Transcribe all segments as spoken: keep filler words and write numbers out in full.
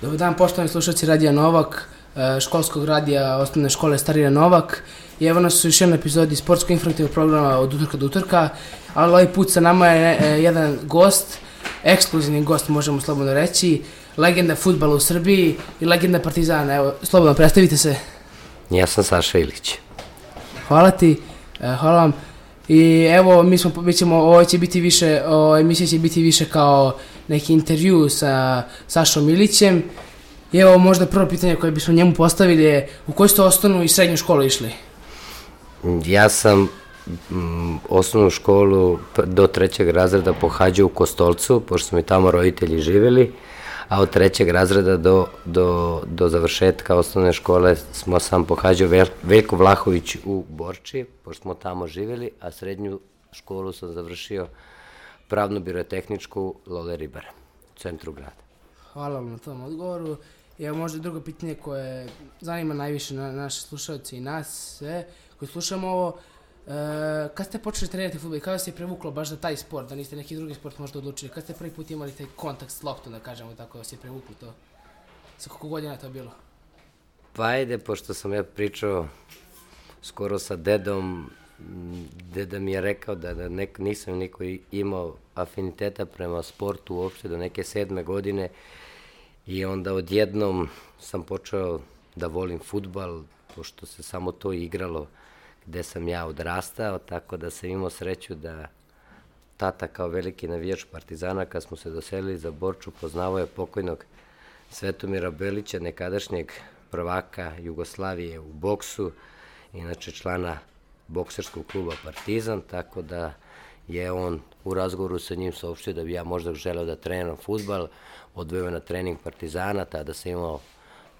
Dobar dan, poštovani slušalci Radija Novak, školskog radija osnovne škole Starina Novak. I evo nas u još jednoj epizodi sportsko-informativnog programa od utorka do utorka, ali ovaj put sa nama je jedan gost, ekskluzivni gost možemo slobodno reći, legenda fudbala u Srbiji i legenda Partizana. Evo, slobodno predstavite se. Ja sam Saša Ilić. Hvala ti, hvala vam. I evo, mi smo, mi ćemo, ovo će biti više, o, emisija će biti više kao neki intervju sa Sašom Ilićem. I evo, možda prvo pitanje koje bismo njemu postavili je, u koju ste osnovnu i srednju školu išli? Ja sam m, osnovnu školu do trećeg razreda pohađao u Kostolcu, pošto su mi tamo roditelji živjeli, a od trećeg razreda do, do, do završetka osnovne škole smo sam pohađao Vel, Veljko Vlahović u Borči, pošto smo tamo živjeli, a srednju školu sam završio pravno-birotehničku Lole Ribara, u centru grada. Hvala vam na tom odgovoru. I evo možda drugo pitanje koje zanima najviše na, naše slušalce i nas sve koji slušamo ovo. E, kad ste počeli trenirati fudbal i kada se je prevuklo baš za taj sport, da niste neki drugi sport možda odlučili? Kad ste prvi put imali taj kontakt s loptom, da kažemo tako, da se je prevuklo to? Sa koliko godina je to bilo? Pa ajde, pošto sam ja pričao skoro sa dedom, deda mi je rekao da, da nek, nisam niko imao afiniteta prema sportu uopšte do neke sedme godine i onda odjednom sam počeo da volim fudbal, pošto se samo to igralo gde sam ja odrastao, tako da sam imao sreću da tata kao veliki navijač Partizana, kad smo se doselili za Borču, poznavao je pokojnog Svetomira Belića, nekadašnjeg prvaka Jugoslavije u boksu, inače člana bokserskog kluba Partizan, tako da je on u razgovoru sa njim saopštio da bi ja možda želeo da treniram fudbal, odveo na trening Partizana, tada sam imao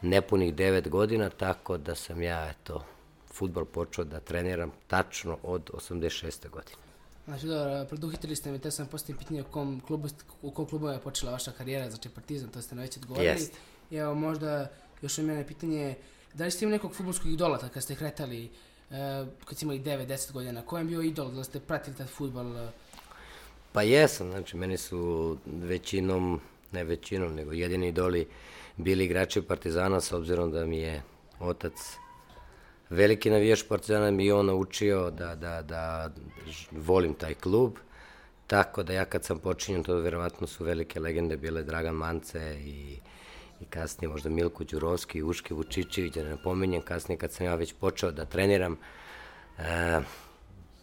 nepunih devet godina, tako da sam ja, eto, fudbal počeo da treniram tačno od osamdeset šeste godine. Znači, dobro, preduhitili ste mi, te sam postavim pitanje u kom klubu, u kom klubu je počela vaša karijera, znači Partizan, to ste na već odgovorili. Jest. I evo, možda još od mene pitanje, da li ste imali nekog fudbalskog idola kad ste kretali, eh, kad ste imali devet deset godina, ko je bio idol, da ste pratili taj fudbal? Eh? Pa jesam, znači meni su većinom, ne većinom, nego jedini idoli bili igrači Partizana, s obzirom da mi je otac veliki navijač Partizana, mi je on naučio da, da, da volim taj klub, tako da ja kad sam počinjen, to verovatno su velike legende bile Dragan Mance i, i kasnije možda Milko Đurovski, Uške Vučićević, da ne napominjem, kasnije kad sam ja već počeo da treniram, e,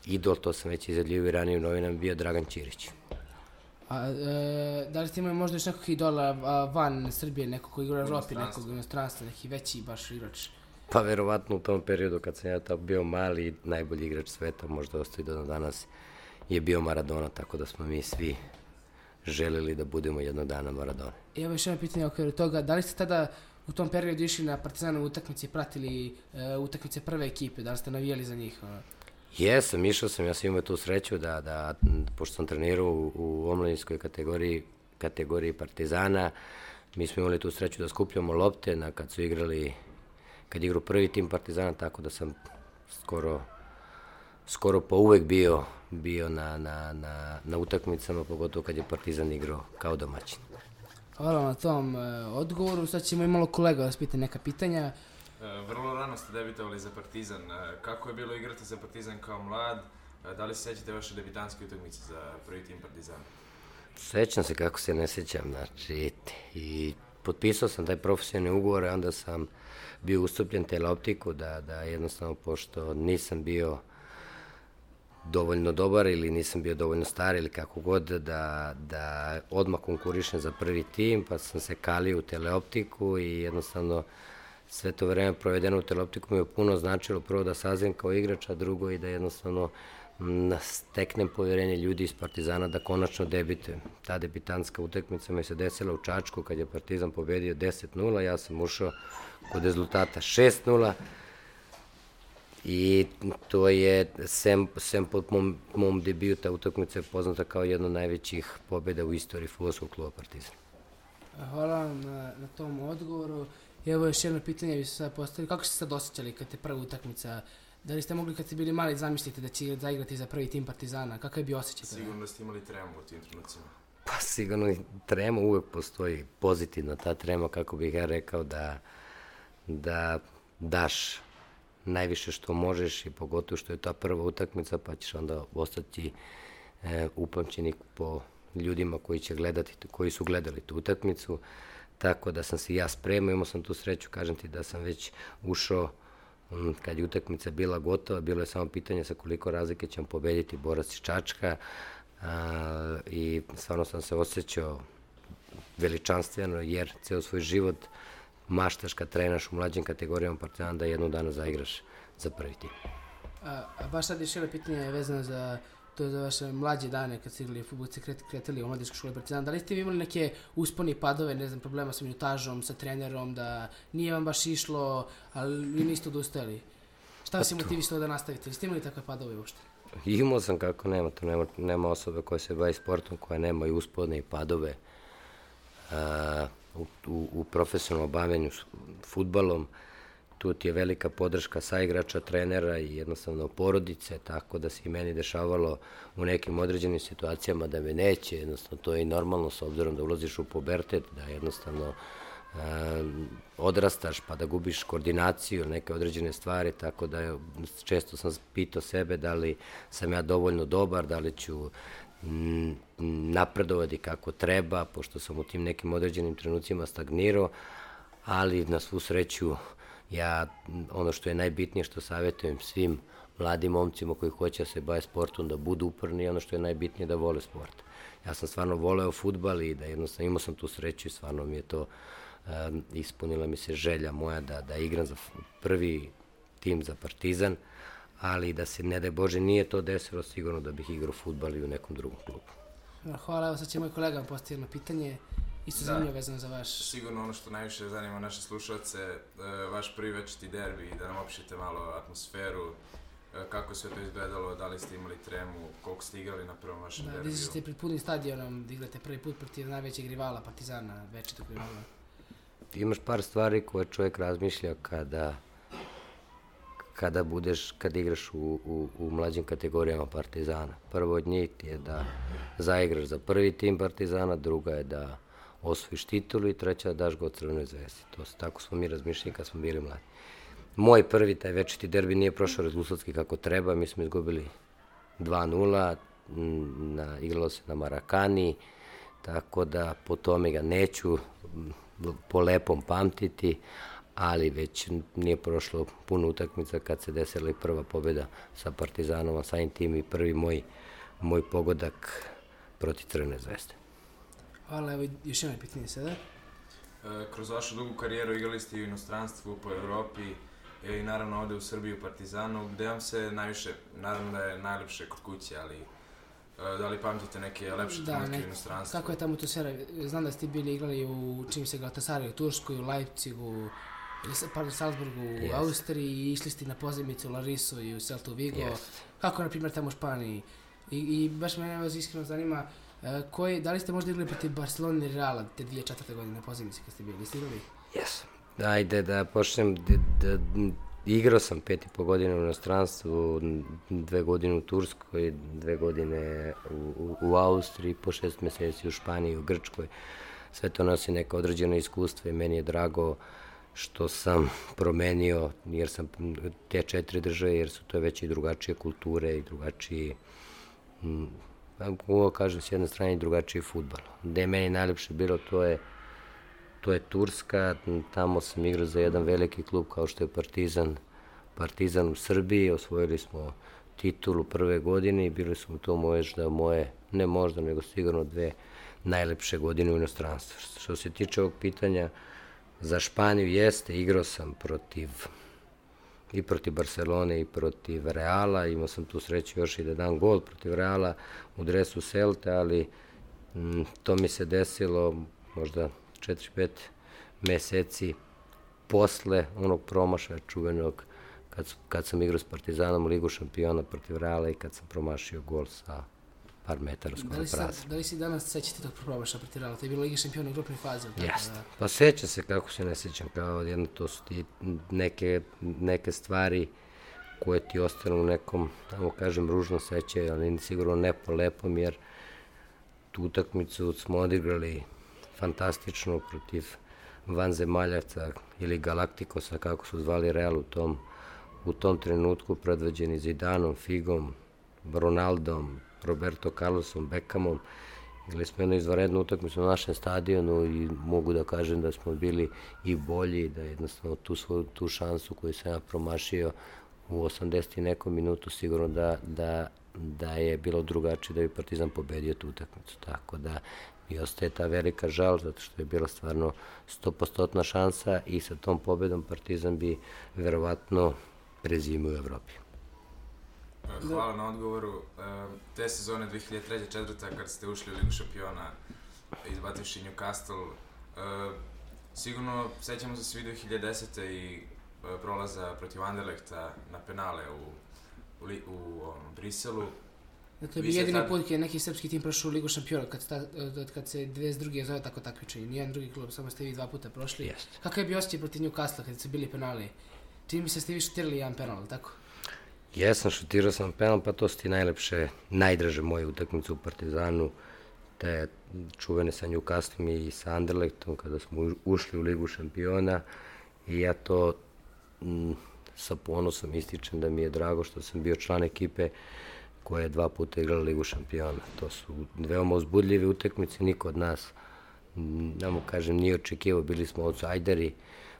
idol, to sam već izjavljivao i ranije u novinama, bio Dragan Ćirić. A, e, da li ste imali možda još nekog idola a, van Srbije, nekog koji igra u Evropi, nekog inostranstva, neki veći baš igrač? Pa verovatno u tom periodu kad sam ja tamo bio mali, najbolji igrač sveta, možda ostaje do danas, je bio Maradona, tako da smo mi svi želeli da budemo jednog dana Maradona. I evo još jedno pitanje okviru toga, da li ste tada u tom periodu išli na Partizanove utakmice i pratili e, utakmice prve ekipe, da li ste navijali za njih? Jesam, išao sam, ja sam imao tu sreću da, da pošto sam trenirao u, u omladinskoj kategoriji, kategoriji Partizana, mi smo imali tu sreću da skupljamo lopte na kad su igrali, kad igrao prvi tim Partizana, tako da sam skoro, skoro pa uvek bio, bio na, na, na, na utakmicama, pogotovo kad je Partizan igrao kao domaćin. Hvala na tom e, odgovoru, sad ćemo i malo kolega da vas pita neka pitanja. Vrlo rano ste debitovali za Partizan. Kako je bilo igrati za Partizan kao mlad? Da li se sećate vaše debitanske utakmice za prvi tim Partizana? Sećam se, kako se ne sećam, znači, i potpisao sam taj profesionalni ugovor, a onda sam bio ustupljen teleoptiku, da, da jednostavno, pošto nisam bio dovoljno dobar ili nisam bio dovoljno star ili kako god, da, da odmah konkurišem za prvi tim, pa sam se kalio u teleoptiku i jednostavno sve to vreme provedeno u teleoptiku mi je puno značilo, prvo da sazrem kao igrač, a drugo i da jednostavno steknem povjerenje ljudi iz Partizana da konačno debitujem. Ta debitanska utakmica mi se desila u Čačku kad je Partizan pobedio deset nula, ja sam ušao kod rezultata šest nula i to je, sem, sem pod mom, mom debiju, ta utakmica je poznata kao jedna od najvećih pobjeda u istoriji fudbalskog kluba Partizan. Hvala vam na, na tom odgovoru. I evo još jedno pitanje bi se sad postavili. Kako ste sad osjećali kad je prva utakmica? Da li ste mogli kad ste bili mali zamisliti da će zaigrati za prvi tim Partizana? Kakav je bio osjećaj? Sigurno da ste imali tremu u tim trenucima. Pa sigurno trema uvek postoji, pozitivna ta trema, kako bih ja rekao, da, da daš najviše što možeš i pogotovo što je ta prva utakmica, pa ćeš onda ostati e, upamćeni po ljudima koji će gledati, koji su gledali tu utakmicu, tako da sam se ja spremao, imao sam tu sreću, kažem ti da sam već ušao kad je utakmica bila gotova, bilo je samo pitanje sa koliko razlike ćemo pobediti Borac iz Čačka, a, i stvarno sam se osjećao veličanstveno, jer ceo svoj život maštaš kad trenaš u mlađim kategorijama Partizana da jednu dana zaigraš za prvi tim. A, a baš sad još jedno pitanje vezano za to za vaše mlađe dane kad ste igrali fudbal, ste kretali u mladiškoj školi Partizana. Da li ste vi imali neke usponi i padove, ne znam, problema sa minutažom, sa trenerom, da nije vam baš išlo, ali vi niste odustajali? Šta vas je motivisalo da nastavite? Ste imali takve padove uopšte? Imao sam, kako nema, to nema, nema osobe koja se bavi sportom, koja nema i uspone i padove a, u, u, u profesionalnom bavljenju fudbalom. Tu ti je velika podrška saigrača, trenera i jednostavno porodice, tako da se i meni dešavalo u nekim određenim situacijama da me neće, jednostavno to je i normalno s obzirom da ulaziš u pubertet, da jednostavno e, odrastaš pa da gubiš koordinaciju, neke određene stvari, tako da je, često sam pitao sebe da li sam ja dovoljno dobar, da li ću m, napredovati kako treba, pošto sam u tim nekim određenim trenucima stagnirao, ali na svu sreću ja, ono što je najbitnije što savjetujem svim mladim momcima koji hoće da se bave sportom, da budu uporni i ono što je najbitnije da vole sport. Ja sam stvarno voleo fudbal i da jednostavno imao sam tu sreću i stvarno mi je to um, ispunila mi se želja moja da, da igram za prvi tim za Partizan, ali da se, ne daj Bože, nije to desilo, sigurno da bih igrao fudbal i u nekom drugom klubu. Hvala, evo sad će moj kolega postaviti jedno pitanje. Isto zanimljivo vezano za vaš... Sigurno ono što najviše zanima naše slušalce, vaš prvi večiti derbi, da nam opišete malo atmosferu, kako je sve to izgledalo, da li ste imali tremu, koliko ste igrali na prvom vašem derbiju. Da, izašli ste pred punim stadionom da igrate prvi put protiv najvećeg rivala Partizana, večitog rivala. Imaš par stvari koje čovjek razmišlja kada, kada budeš, kada igraš u, u, u mlađim kategorijama Partizana. Prvo od njih je da zaigraš za prvi tim Partizana, druga je da osvojiš titulu i treća da daš go Crvenoj zvezdi. To, tako smo mi razmišljali kad smo bili mladi. Moj prvi, taj večiti derbi, nije prošao rezultatski kako treba, mi smo izgubili dva nula, na, igralo se na Marakani, tako da po tome ga neću po lepom pamtiti, ali već nije prošlo puno utakmica kad se desila i prva pobjeda sa Partizanom, a samim tim i prvi moj, moj pogodak protiv Crvene zvezde. Hvala, evo još jedno pitanje sada. E, kroz vašu dugu karijeru igrali ste i u inostranstvu, po Evropi i naravno ovde u Srbiji u Partizanu. Gde vam se najviše, naravno da je najlepše kod kuće, ali e, da li pamtite neke lepše trenutke u inostranstvu? Kako je tamo to sve? Znam da ste bili igrali u čim se Galatasaraju, u Turskoj, u Leipzigu, pardon, Salzburgu, u yes. Austriji i išli ste na pozajmicu u Larisu i u Celtu Vigo. Yes. Kako je, na primjer, tamo u Španiji? I, i baš me vas iskreno zanima, koji, da li ste možda igrali protiv Barcelone i Reala te dvije četvrte godine na pozajmici kad ste bili? Ste igrali? Jes. Ajde da počnem, da, da, igrao sam pet i po godine u inostranstvu, dve godine u Turskoj, dve godine u, u, u Austriji, po šest meseci u Španiji, u Grčkoj. Sve to nosi neka određena iskustva i meni je drago što sam promenio, jer sam te četiri države, jer su to već i drugačije kulture i drugačiji, m, kako kažem, s jedne strane i drugačiji fudbal. Gde je meni najlepše bilo, to je To je Turska, tamo sam igrao za jedan veliki klub kao što je Partizan, Partizan u Srbiji, osvojili smo titulu prve godine i bili smo to možda moje, ne možda, nego sigurno dve najlepše godine u inostranstvu. Što se tiče ovog pitanja, za Španiju jeste, igrao sam protiv, i protiv Barcelone i protiv Reala, imao sam tu sreću još i da dam gol protiv Reala u dresu Celte, ali m, to mi se desilo možda četiri pet meseci posle onog promašaja čuvenog kad, kad sam igrao s Partizanom u Ligu šampiona protiv Reala i kad sam promašio gol sa par metara skoro prazan. Da li si danas sećate tog promašaja protiv Reala? To je bilo Liga šampiona u grupnoj fazi. Jeste. Da... Pa seća se, kako se ne sećam, kao jedno to su ti neke, neke stvari koje ti ostanu u nekom, tamo kažem, ružnom sećaju, ali sigurno ne po lepom, jer tu utakmicu smo odigrali fantastično protiv vanzemaljavca ili Galaktikosa, kako su zvali Real u tom, u tom trenutku, predvođeni Zidanom, Figom, Ronaldom, Roberto Carlosom, Beckhamom. Igrali smo jednu izvanrednu utakmicu na našem stadionu i mogu da kažem da smo bili i bolji, da jednostavno tu svoju tu šansu koju sam ja promašio u osamdeset i nekom minutu sigurno da, da, da je bilo drugačije da bi Partizan pobedio tu utakmicu. Tako da mi ostaje ta velika žal zato što je bila stvarno sto posto šansa i sa tom pobedom Partizan bi verovatno prezimio u Evropi. Hvala na odgovoru. Te sezone dve hiljade treće četvrte kad ste ušli u Ligu šampiona izbativši Newcastle, sigurno sećamo se svi dve hiljade desete i prolaza protiv Anderlechta na penale u, u, u um, Briselu. To je bio jedini put kad je neki srpski tim prošao u Ligu šampiona, kad, sta, kad se dvadeset druge zove tako takmičenje. Nijedan drugi klub, samo ste vi dva puta prošli. Jest. Kakav je bio osjećaj protiv Newcastle kad su bili penali? Čini mi se ste vi šutirali jedan penal, tako? Jesam, šutirao sam penal, pa to su ti najlepše, najdraže moje utakmice u Partizanu, te čuvene sa Newcastlom i sa Anderlechtom kada smo ušli u Ligu šampiona i ja to m, sa ponosom ističem da mi je drago što sam bio član ekipe koja je dva puta igrala Ligu šampiona. To su veoma uzbudljive utakmice, niko od nas, da mu kažem, nije očekivao, bili smo outsideri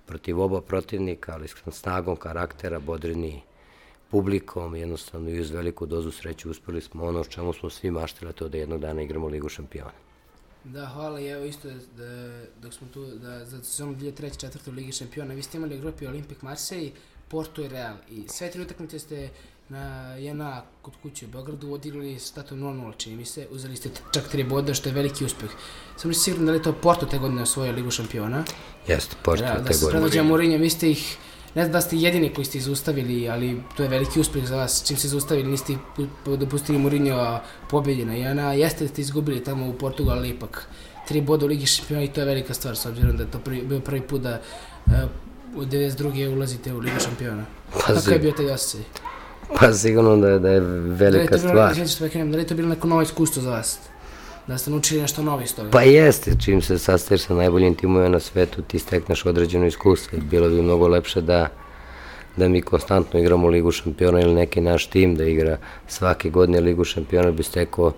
protiv oba protivnika, ali s snagom karaktera, bodrini publikom, jednostavno i uz veliku dozu sreće uspeli smo ono o čemu smo svi maštili, to da jednog dana igramo Ligu šampiona. Da, hvala i evo isto da, dok smo tu, da za sezonu dve hiljade treće četvrte u Ligi šampiona, vi ste imali u grupi Olympique Marseille, Porto i Real i sve tri utakmice ste na jedna kod kuće u Beogradu odigrali s statom nula nula, čini mi se, uzeli ste čak tri boda, što je veliki uspeh. Sam li sigurno da li je to Porto te godine osvojio Ligu šampiona? Jeste, Porto te godine. Da se predvođa Mourinho, vi ste ih, ne znam da ste jedini koji ste izustavili, ali to je veliki uspeh za vas. Čim ste izustavili, niste dopustili Mourinho pobjedi na jedna, jeste da ste izgubili tamo u Portugal, ali ipak tri boda u Ligi šampiona i to je velika stvar, s obzirom da je to prvi, bio prvi put da uh, u devedeset druge ulazite u Ligu šampiona. Kako je bio taj osjećaj? Pa sigurno da je, da je velika stvar. Da li je to bilo neko novo iskustvo za vas? Da ste naučili nešto novo iz toga? Pa jeste, čim se sastaješ sa najboljim timovima na svetu, ti stekneš određeno iskustvo. Bilo bi mnogo lepše da, da mi konstantno igramo Ligu šampiona ili neki naš tim da igra svake godine Ligu šampiona, bi stekao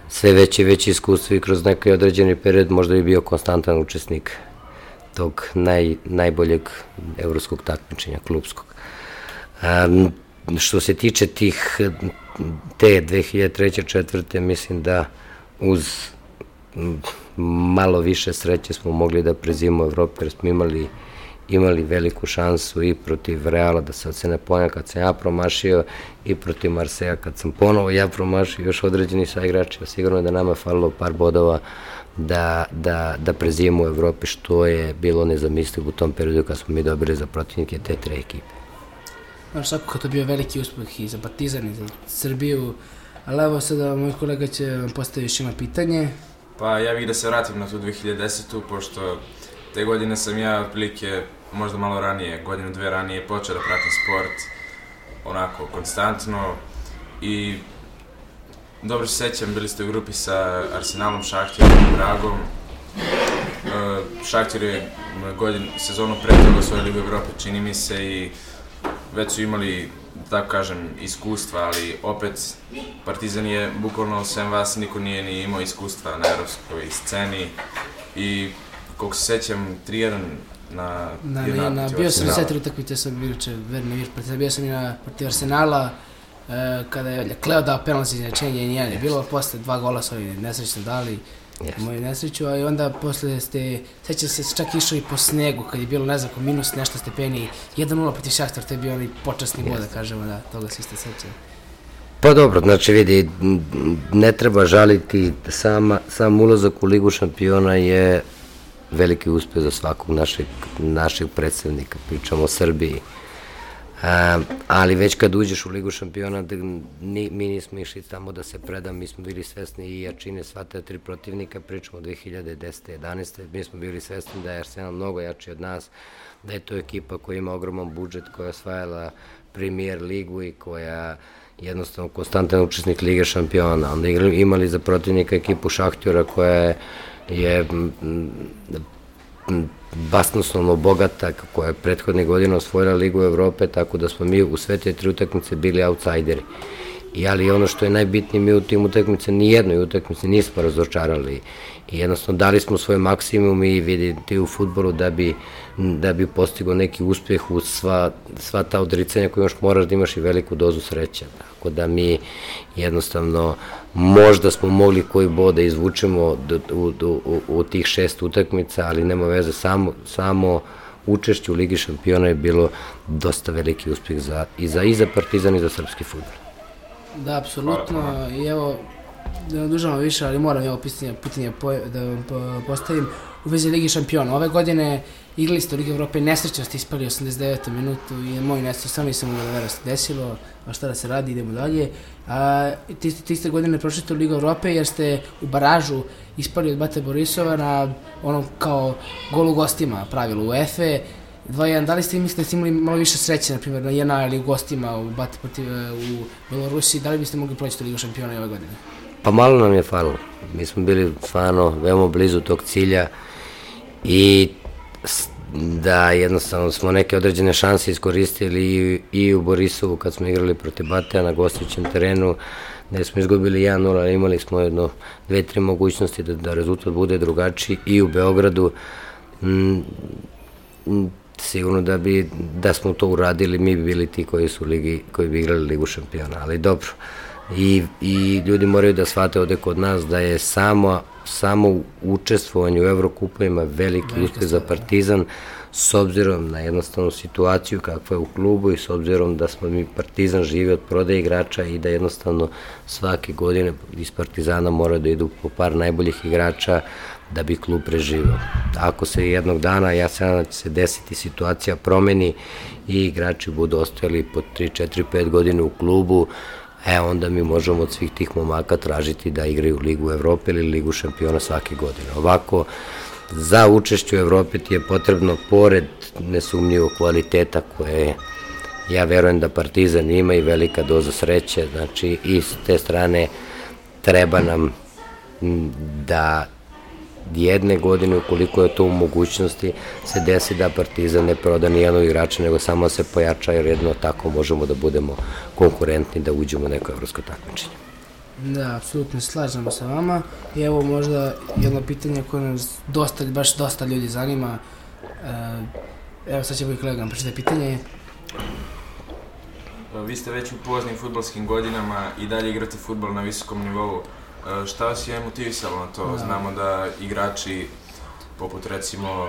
sve veće i veće iskustvo i kroz neki određeni period možda bi bio konstantan učesnik tog naj, najboljeg evropskog takmičenja, klubskog. Um, što se tiče tih te dve hiljade treće četvrte, mislim da uz malo više sreće smo mogli da prezimimo Evropu, jer smo imali, imali veliku šansu i protiv Reala, da sad se ne ponavljam, kad sam ja promašio, i protiv Marseja kad sam ponovo ja promašio, još određeni saigrači, sigurno je da nama je falilo par bodova da, da, da prezimimo u Evropi, što je bilo nezamislivo u tom periodu kad smo mi dobili za protivnike te tre ekipe. Znaš, svakako to bio veliki uspeh i za Partizan i za Srbiju, ali evo sada moj kolega će vam postaviti još ima pitanje. Pa ja bih da se vratim na tu dve hiljade desetu, pošto te godine sam ja otprilike možda malo ranije, godinu dve ranije, počeo da pratim sport onako konstantno i dobro se sećam, bili ste u grupi sa Arsenalom, Šahtjerom i Bragom. Šahtjer je godinu, sezonu pre toga osvojio Ligu Evrope, čini mi se, i već su imali, tako kažem, iskustva, ali opet Partizan je bukvalno sem vas niko nije ni imao iskustva na evropskoj sceni i koliko se sećam tri jedan na na na, na bio sam sve tri utakmice sam inače verni vir protiv bio sam i na protiv Arsenala uh, kada je Kleo dao penal za izjednačenje i nije bilo posle dva gola su oni nesrećno dali. Yes. Moju nesreću, a i onda posle ste, sećam se čak išao i po snegu, kad je bilo, ne znam, minus nešto stepeni, jedan nula protiv Šahtar, to je bio onaj počasni bod, yes. Da kažemo, da, toga svi ste sećali. Pa dobro, znači vidi, ne treba žaliti, sama, sam ulazak u Ligu šampiona je veliki uspeh za svakog našeg, našeg predstavnika, pričamo o Srbiji. Um, ali već kad uđeš u Ligu šampiona, ni, mi nismo išli tamo da se predam, mi smo bili svesni i jačine sva ta tri protivnika, pričamo o dve hiljade desete jedanaeste mi smo bili svesni da je Arsenal mnogo jači od nas, da je to ekipa koja ima ogroman budžet, koja je osvajala Premier ligu i koja jednostavno konstantan učesnik Lige šampiona. Onda imali za protivnika ekipu Šahtjora koja je basnoslovno bogata, koja je prethodne godine osvojila Ligu Evrope, tako da smo mi u sve te tri utakmice bili outsideri. I ali ono što je najbitnije, mi u tim utakmice, ni jednoj utakmice nismo razočarali. I jednostavno dali smo svoj maksimum i vidite u fudbalu da bi, da bi postigao neki uspjeh u sva, sva ta odricanja koje još moraš da imaš i veliku dozu sreće. Tako da mi jednostavno možda smo mogli koji bod da izvučemo do, u, u, u tih šest utakmica, ali nema veze, samo, samo učešće u Ligi šampiona je bilo dosta veliki uspjeh za, i, za, i za Partizan i za srpski fudbal. Da, apsolutno. I evo, da ne dužamo više, ali moram evo pitanje, pitanje da vam postavim u vezi Ligi šampiona. Ove godine igrali ste u Ligi Evrope, nesrećno ste ispali osamdeset devete minutu i moj nesrećno sam nisam mogao da vera se desilo, a šta da se radi, idemo dalje. A, ti, ti ste godine prošli u Ligu Evrope jer ste u baražu ispali od Bate Borisova na onom kao golu gostima pravilu UEFA. dva jedan, da li ste mislili da ste imali malo više sreće, na primjer, na jedna ili u gostima u Bate protiv u Belorusiji, da li biste mogli proći u Ligu šampiona ove godine? Pa malo nam je falilo. Mi smo bili stvarno veoma blizu tog cilja i da jednostavno smo neke određene šanse iskoristili i, i u Borisovu kad smo igrali protiv Batea na gostujućem terenu, gde smo izgubili jedan nula, ali imali smo jedno, dve, tri mogućnosti da, da rezultat bude drugačiji i u Beogradu. Mm, sigurno da bi, da smo to uradili, mi bi bili ti koji su ligi, koji bi igrali Ligu šampiona, ali dobro. I, i ljudi moraju da shvate ovde kod nas da je samo, samo učestvovanje u Evrokupovima veliki uspeh za Partizan, s obzirom na jednostavnu situaciju kakva je u klubu i s obzirom da smo mi Partizan živi od prodaje igrača i da jednostavno svake godine iz Partizana mora da idu po par najboljih igrača da bi klub preživao. Ako se jednog dana, ja se nadam da će se desiti, situacija promeni i igrači budu ostajali po tri, četiri, pet godine u klubu, e onda mi možemo od svih tih momaka tražiti da igraju Ligu Evrope ili Ligu šampiona svake godine. Ovako, za učešće u Evropi ti je potrebno, pored nesumnjivog kvaliteta koje ja verujem da Partizan ima i velika doza sreće, znači i s te strane treba nam da jedne godine, ukoliko je to u mogućnosti, se desi da Partizan ne proda ni jednog igrača, nego samo se pojača, jer jedno tako možemo da budemo konkurentni, da uđemo u neko evropsko takmičenje. Da, apsolutno slažemo sa vama. I evo možda jedno pitanje koje nas dosta, baš dosta ljudi zanima. Evo sad će moj kolega nam pročitati pitanje. Vi ste već u poznim fudbalskim godinama i dalje igrate fudbal na visokom nivou. Šta vas je motivisalo na to? Znamo da igrači poput recimo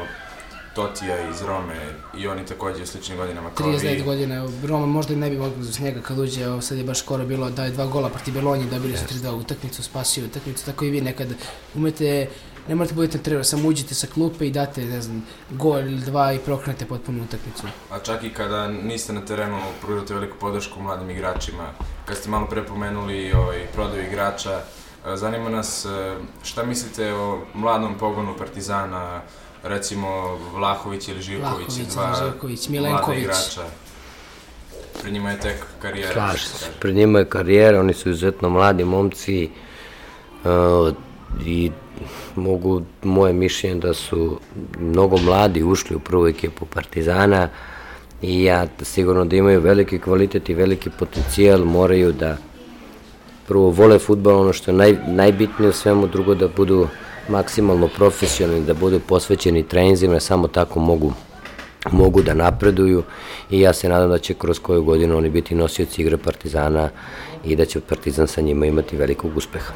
Totija iz Rome i oni također u sličnim godinama kao vi. trideset devet godina, Roma možda i ne bi mogli uz njega kad uđe, evo sad je baš skoro bilo da je dva gola protiv Belonje, dobili su trideset dva utakmicu, spasio utakmicu, tako i vi nekad umete, ne morate budete trener, samo uđete sa klupe i date, ne znam, gol ili dva i prokrenete potpuno utakmicu. A čak i kada niste na terenu, pružate veliku podršku mladim igračima, kad ste malo prepomenuli ovaj, prodaju igrača, zanima nas šta mislite o mladom pogonu Partizana, recimo Vlahović ili Živković, dva Živković, mlada igrača. Pred njima je tek karijera. Slaži se, pred njima je karijera, oni su izuzetno mladi momci uh, i mogu, moje mišljenje da su mnogo mladi ušli u prvu ekipu Partizana i ja sigurno da imaju veliki kvalitet i veliki potencijal, moraju da prvo vole fudbal, ono što je naj, najbitnije u svemu, drugo da budu maksimalno profesionalni, da budu posvećeni treninzima, samo tako mogu, mogu da napreduju i ja se nadam da će kroz koju godinu oni biti nosioci igre Partizana i da će Partizan sa njima imati velikog uspeha.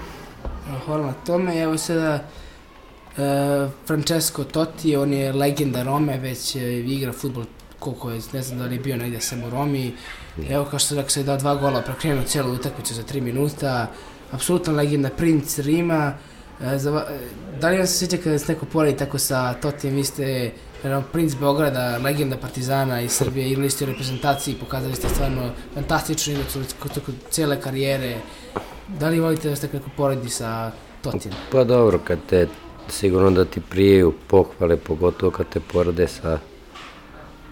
Hvala na tome. Evo sada e, Francesco Totti, on je legenda Rome, već e, igra fudbal koliko je, ne znam da li je bio negdje sam u Romi. Evo kao što se rekao, se je dao dva gola, prekrenuo cijelu utakmicu za tri minuta. Apsolutna legenda, princ Rima. E, za, da li vam se sjeća kada se neko poredi tako sa Totijem, vi ste princ Beograda, legenda Partizana iz Srbije, igrali ste u reprezentaciji, pokazali ste stvarno fantastičnu igru kod cijele karijere. Da li volite da ste neko poredi sa Totijem? Pa dobro, kad te sigurno da ti prijeju pohvale, pogotovo kad te porede sa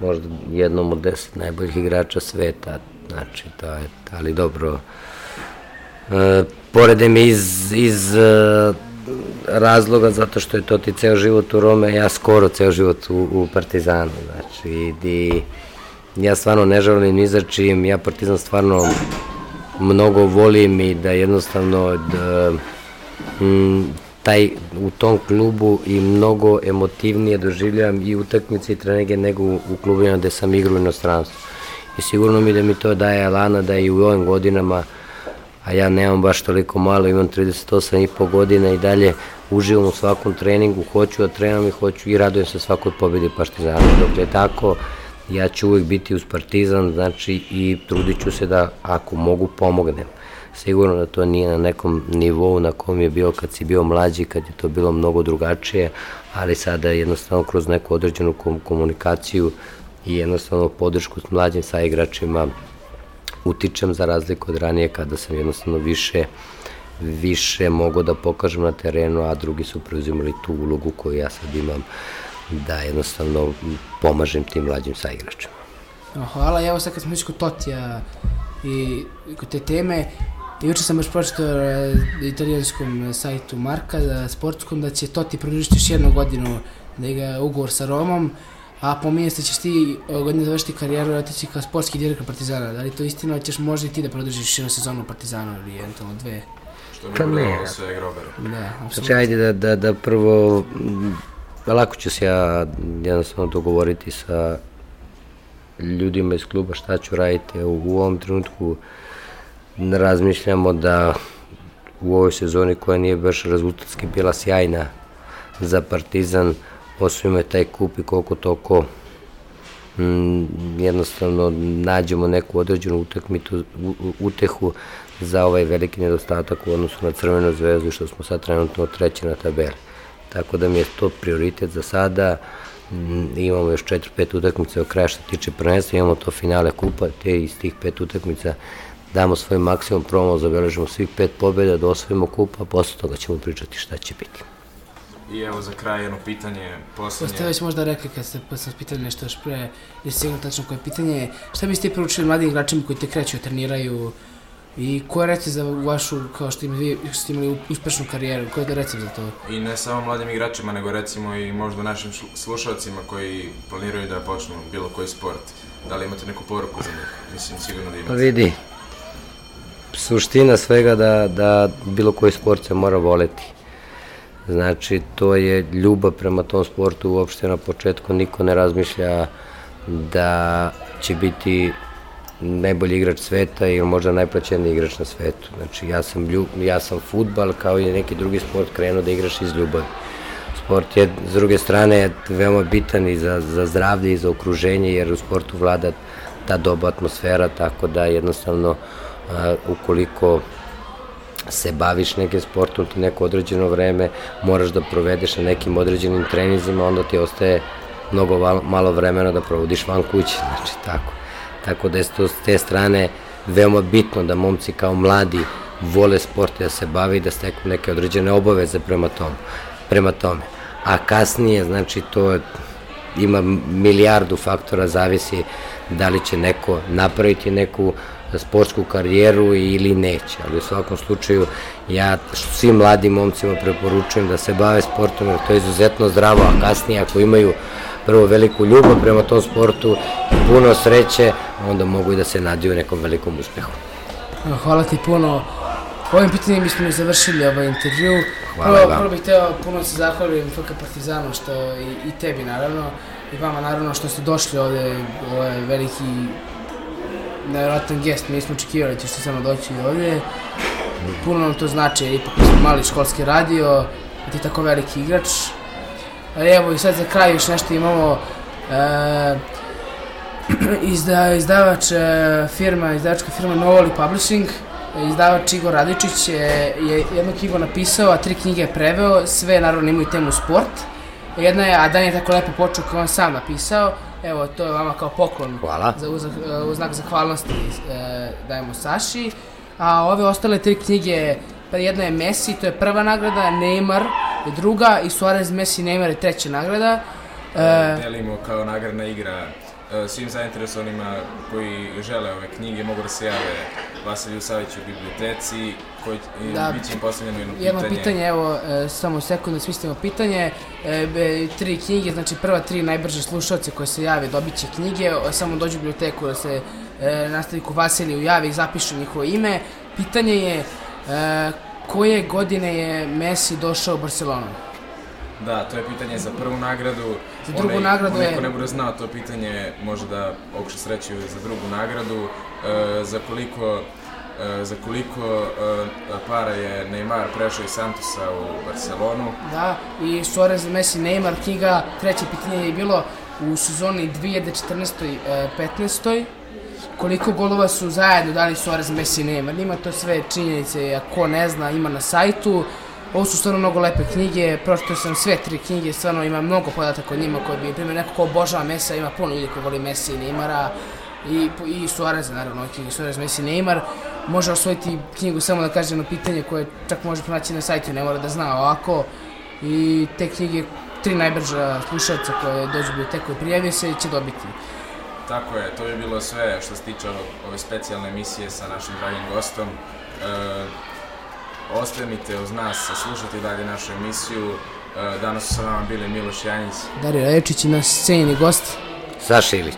možda jednom od deset najboljih igrača sveta. znači to je, ali dobro, e, poredem iz, iz e, razloga zato što je to ti ceo život u Rome, ja skoro ceo život u, u Partizanu, znači i ja stvarno ne želim ni za čim, ja Partizan stvarno mnogo volim i da jednostavno da, m, taj u tom klubu i mnogo emotivnije doživljavam i utakmice i treninge nego u, u klubima gde sam igrao u inostranstvu. I sigurno mi da mi to daje elana da i u ovim godinama, a ja nemam baš toliko malo, imam trideset osam i po godina i dalje uživam u svakom treningu, hoću da trenam i hoću i radujem se svakoj pobedi Partizana. Dok je tako, ja ću uvijek biti uz Partizan, znači i trudit ću se da ako mogu pomognem. Sigurno da to nije na nekom nivou na kom je bio kad si bio mlađi, kad je to bilo mnogo drugačije, ali sada jednostavno kroz neku određenu komunikaciju i jednostavno podršku s mlađim saigračima utičem za razliku od ranije kada sam jednostavno više više mogo da pokažem na terenu, a drugi su preuzimali tu ulogu koju ja sad imam da jednostavno pomažem tim mlađim saigračima. Hvala, evo sad kad smo već kod Totija i kod te teme, juče sam baš pročitao na italijanskom sajtu Marka, sportskom, da će Toti produžiti još jednu godinu da igra ugovor sa Romom, a pominje se da ćeš ti godine završiti karijeru i otići kao sportski direktor Partizana. Da li to istina, ćeš možda i ti da produžiš jednu sezonu u Partizanu ili eventualno dve? Što bi prodavalo sve Groberu. Da, znači, ajde da, da, da prvo, lako ću se ja jednostavno dogovoriti sa ljudima iz kluba šta ću raditi. U, u ovom trenutku razmišljamo da u ovoj sezoni koja nije baš rezultatski bila sjajna za Partizan, osvojimo taj kup i koliko toliko mm, jednostavno nađemo neku određenu utakmitu, u, utehu za ovaj veliki nedostatak u odnosu na Crvenu zvezdu, što smo sad trenutno treći na tabeli. Tako da mi je to prioritet za sada. Mm, imamo još četiri pet utakmica od kraja što tiče prvenstva, imamo to finale kupa, te iz tih pet utakmica damo svoj maksimum, probamo, zabeležimo svih pet pobjeda, da osvojimo kup, a posle toga ćemo pričati šta će biti. I evo za kraj jedno pitanje, poslednje. Ste već možda rekli kad ste sam pitali nešto još pre, jeste sigurno tačno koje pitanje, šta biste ti poručili mladim igračima koji te kreću, treniraju i koje reci za vašu, kao što vi ste imali uspešnu karijeru, koje da reci za to? I ne samo mladim igračima, nego recimo i možda našim slušalcima koji planiraju da počnu bilo koji sport. Da li imate neku poruku za njih? Mislim, sigurno da imate. Pa vidi, suština svega da, da bilo koji sport se mora voleti. Znači, to je ljubav prema tom sportu, uopšte na početku niko ne razmišlja da će biti najbolji igrač sveta ili možda najplaćeniji igrač na svetu. Znači, ja sam, ljub, ja sam fudbal kao i neki drugi sport krenuo da igraš iz ljubavi. Sport je, s druge strane, veoma bitan i za, za zdravlje i za okruženje, jer u sportu vlada ta dobra atmosfera, tako da jednostavno, a, ukoliko se baviš nekim sportom ti neko određeno vreme, moraš da provedeš na nekim određenim treninzima, onda ti ostaje mnogo malo vremena da provodiš van kuće, znači tako. Tako da je to s te strane veoma bitno da momci kao mladi vole sport i da se bavi i da steknu neke određene obaveze prema tom, prema tome. A kasnije, znači to ima milijardu faktora, zavisi da li će neko napraviti neku sportsku karijeru ili neće, ali u svakom slučaju ja svim mladim momcima preporučujem da se bave sportom, jer to je izuzetno zdravo, a kasnije ako imaju prvo veliku ljubav prema tom sportu i puno sreće, onda mogu i da se nadiju nekom velikom uspehu. Hvala ti puno. Ovim pitanjem bismo mi završili ovaj intervju. Hvala prvo, vam. Prvo bih hteo puno se zahvalim F K Partizanu što i, i tebi naravno, i vama naravno što ste došli ovde, ovo je veliki nevjerojatan gest, mi smo očekivali da ćete samo doći ovde. Puno nam to znači, jer ipak smo mali školski radio, ti je tako veliki igrač. Ali evo i sad za kraj još nešto imamo, e, izda, izdavač e, firma, izdavačka firma Novoli Publishing, izdavač Igor Radičić je, je jednu knjigu napisao, a tri knjige je preveo, sve naravno imaju temu sport. Jedna je, a Dan je tako lepo počeo kao on sam napisao, evo to je vama kao poklon. Hvala. Za uz, uz znak zahvalnosti e, dajemo Saši. A ove ostale tri knjige, pa jedna je Messi, to je prva nagrada, Neymar je druga i Suarez, Messi, Neymar je treća nagrada. E, Delimo kao nagradna igra svim zainteresovanima koji žele ove knjige mogu da se jave Vasiliju Saviću u biblioteci, koji Da. bit će im postavljeno jedno Jedno pitanje. pitanje, evo, e, samo sekund da smislimo pitanje. E, be, tri knjige, znači prva tri najbrže slušalce koje se jave dobit će knjige, o, samo dođu u biblioteku da se e, nastavniku Vasiliju javi i zapišu njihovo ime. Pitanje je e, koje godine je Messi došao u Barcelonu? Da, to je pitanje za prvu nagradu. Za drugu Onaj- nagradu onaj je- ko ne bude znao to pitanje može da pokuša sreću za drugu nagradu. E, za koliko, e, za koliko e, para je Neymar prešao iz Santosa u Barcelonu? Da, i Suarez, Messi, Neymar, knjiga. Treće pitanje je bilo u sezoni dvije hiljade četrnaestoj petnaestoj koliko golova su zajedno dali Suarez, Messi i Neymar. Ima to sve činjenice, a ko ne zna, ima na sajtu. Ovo su stvarno mnogo lepe knjige, pročitao sam sve tri knjige, stvarno ima mnogo podataka o njima koji bi, primjer, neko ko obožava Messi, ima puno ljudi koji voli Messi i Neymara i, i Suareza, naravno, ove knjige Suarez, Messi i Neymar. Može osvojiti knjigu samo da kaže jedno pitanje koje čak može pronaći na sajtu, ne mora da zna ovako. I te knjige, tri najbrža slušalca koje dođu u biblioteku i prijavio se, će dobiti. Tako je, to bi bilo sve što se tiče ove- ove specijalne emisije sa našim dragim gostom. E, Ostanite uz nas, slušajte dalje našu emisiju. E, danas su sa nama bili Miloš Janjić. Dario Raječić i naš cenjeni gost. Saša Ilić.